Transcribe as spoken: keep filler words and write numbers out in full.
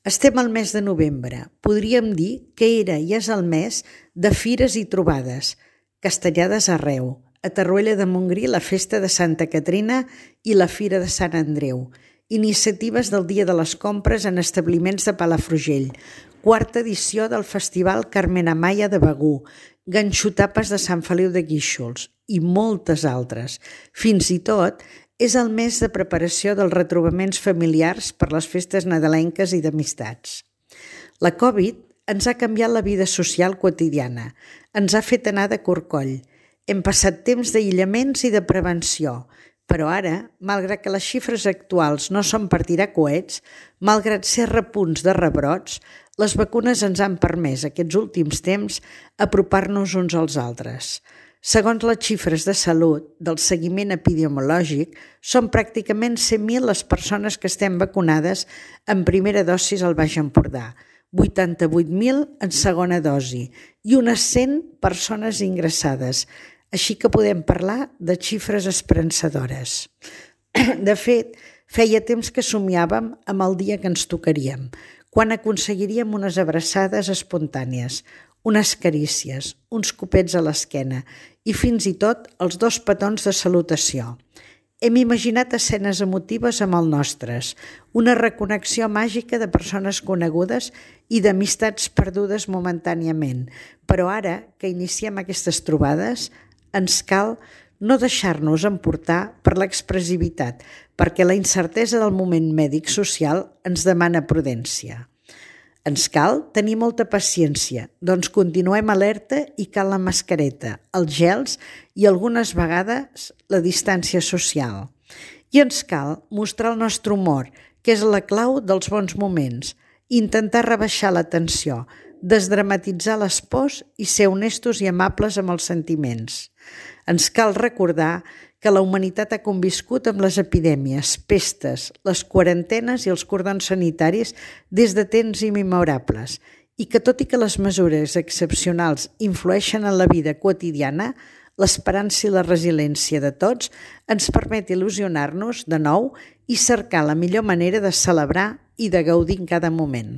Estem al mes de novembre. Podríem dir que era i és el mes de fires i trobades, castellades arreu. A Torroella de Montgrí la festa de Santa Caterina i la fira de Sant Andreu. Iniciatives del Dia de les Compres en establiments de Palafrugell. Quarta edició del Festival Carmen Amaya de Begur. Ganxotapes de Sant Feliu de Guíxols i moltes altres. Fins i tot és el mes de preparació dels retrobaments familiars per les festes nadalenques i d'amistats. La Covid ens ha canviat la vida social quotidiana, ens ha fet anar de corcoll. Hem passat temps d'aïllaments i de prevenció, però ara, malgrat que les xifres actuals no són per tirar coets, malgrat ser repunts de rebrots, les vacunes ens han permès aquests últims temps apropar-nos uns als altres. Segons les xifres de salut del seguiment epidemiològic, són pràcticament cent mil les persones que estem vacunades en primera dosi al Baix Empordà, vuitanta-vuit mil en segona dosi i unes cent persones ingressades, així que podem parlar de xifres esperançadores. De fet, feia temps que somiàvem amb el dia que ens tocaríem, quan aconseguiríem unes abraçades espontànies, unes carícies, uns copets a l'esquena i fins i tot els dos petons de salutació. Hem imaginat escenes emotives amb els nostres, una reconnexió màgica de persones conegudes i d'amistats perdudes momentàniament, però ara que iniciem aquestes trobades, ens cal no deixar-nos emportar per l'expressivitat, perquè la incertesa del moment mèdic-social ens demana prudència. Ens cal tenir molta paciència, doncs continuem alerta i cal la mascareta, els gels i algunes vegades la distància social. I ens cal mostrar el nostre humor, que és la clau dels bons moments, intentar rebaixar la tensió, desdramatitzar les pors i ser honestos i amables amb els sentiments. Ens cal recordar que la humanitat ha conviscut amb les epidèmies, pestes, les quarantenes i els cordons sanitaris des de temps immemorables i que tot i que les mesures excepcionals influeixen en la vida quotidiana, l'esperança i la resiliència de tots ens permet il·lusionar-nos de nou i cercar la millor manera de celebrar i de gaudir en cada moment.